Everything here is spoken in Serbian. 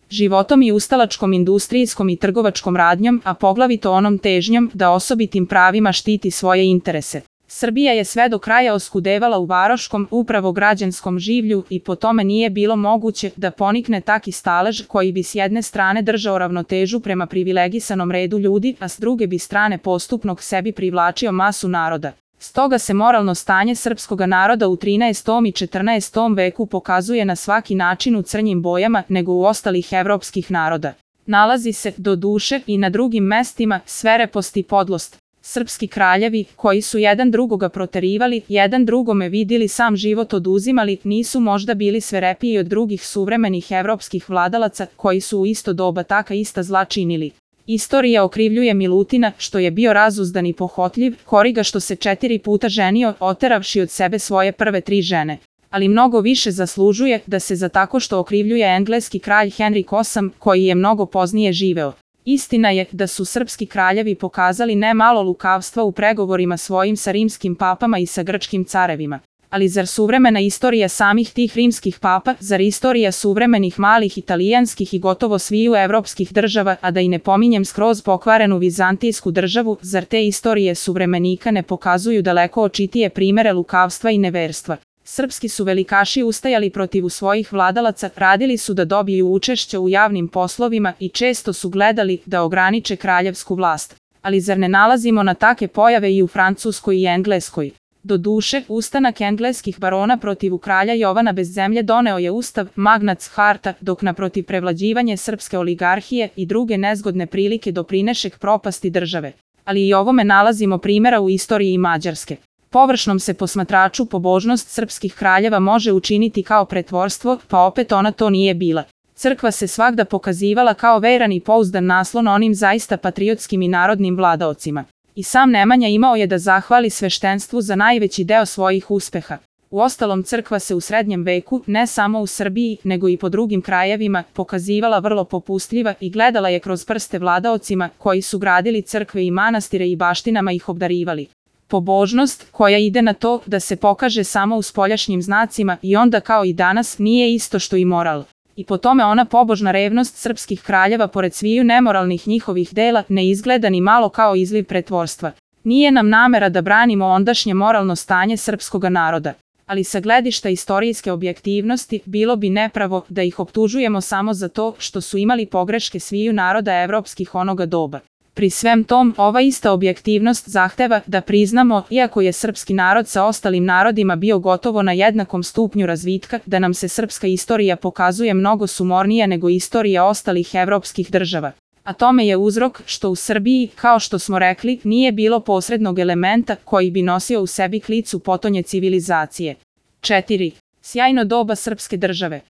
životom i ustalačkom industrijskom i trgovačkom radnjom, a poglavito onom težnjom da osobitim pravima štiti svoje interese. Srbija je sve do kraja oskudevala u varoškom, upravo građanskom življu i po tome nije bilo moguće da ponikne taki stalež koji bi s jedne strane držao ravnotežu prema privilegisanom redu ljudi, a s druge bi strane postupno k sebi privlačio masu naroda. Stoga se moralno stanje srpskoga naroda u 13. i 14. veku pokazuje na svaki način u crnjim bojama nego u ostalih evropskih naroda. Nalazi se, doduše, i na drugim mestima sverepost i podlost. Srpski kraljevi, koji su jedan drugoga proterivali, jedan drugome vidjeli sam život oduzimali, nisu možda bili sverepiji od drugih suvremenih evropskih vladalaca koji su u isto doba taka ista zla činili. Istorija okrivljuje Milutina što je bio razuzdan i pohotljiv, Koriga što se 4 puta ženio, oteravši od sebe svoje prve 3 žene. Ali mnogo više zaslužuje da se za tako što okrivljuje engleski kralj Henrik VIII, koji je mnogo poznije živeo. Istina je da su srpski kraljevi pokazali ne malo lukavstva u pregovorima svojim sa rimskim papama i sa grčkim carevima. Ali zar suvremena istorija samih tih rimskih papa, zar istorija suvremenih malih italijanskih i gotovo sviju evropskih država, a da i ne pominjem skroz pokvarenu vizantijsku državu, zar te istorije suvremenika ne pokazuju daleko očitije primere lukavstva i neverstva? Srpski su velikaši ustajali protiv svojih vladalaca, radili su da dobiju učešće u javnim poslovima i često su gledali da ograniče kraljevsku vlast. Ali zar ne nalazimo na take pojave i u Francuskoj i Engleskoj? Doduše, ustanak engleskih barona protiv kralja Jovana bez zemlje doneo je ustav Magna Charta, dok naprotiv prevlađivanje srpske oligarhije i druge nezgodne prilike doprinešek propasti države. Ali i ovome nalazimo primjera u istoriji Mađarske. Površnom se posmatraču pobožnost srpskih kraljeva može učiniti kao pretvorstvo, pa opet ona to nije bila. Crkva se svagda pokazivala kao veran i pouzdan naslon onim zaista patriotskim i narodnim vladaocima. I sam Nemanja imao je da zahvali sveštenstvu za najveći deo svojih uspeha. Uostalom crkva se u srednjem veku, ne samo u Srbiji, nego i po drugim krajevima, pokazivala vrlo popustljiva i gledala je kroz prste vladaocima koji su gradili crkve i manastire i baštinama ih obdarivali. Pobožnost, koja ide na to da se pokaže samo u spoljašnjim znacima i onda kao i danas, nije isto što i moral. I po tome ona pobožna revnost srpskih kraljeva pored sviju nemoralnih njihovih dela ne izgleda ni malo kao izliv pretvorstva. Nije nam namera da branimo ondašnje moralno stanje srpskoga naroda, ali sa gledišta istorijske objektivnosti bilo bi nepravo da ih optužujemo samo za to što su imali pogreške sviju naroda evropskih onoga doba. Pri svem tom, ova ista objektivnost zahteva da priznamo, iako je srpski narod sa ostalim narodima bio gotovo na jednakom stupnju razvitka, da nam se srpska istorija pokazuje mnogo sumornija nego istorija ostalih evropskih država. A tome je uzrok što u Srbiji, kao što smo rekli, nije bilo posrednog elementa koji bi nosio u sebi klicu potonje civilizacije. 4. Sjajno doba srpske države.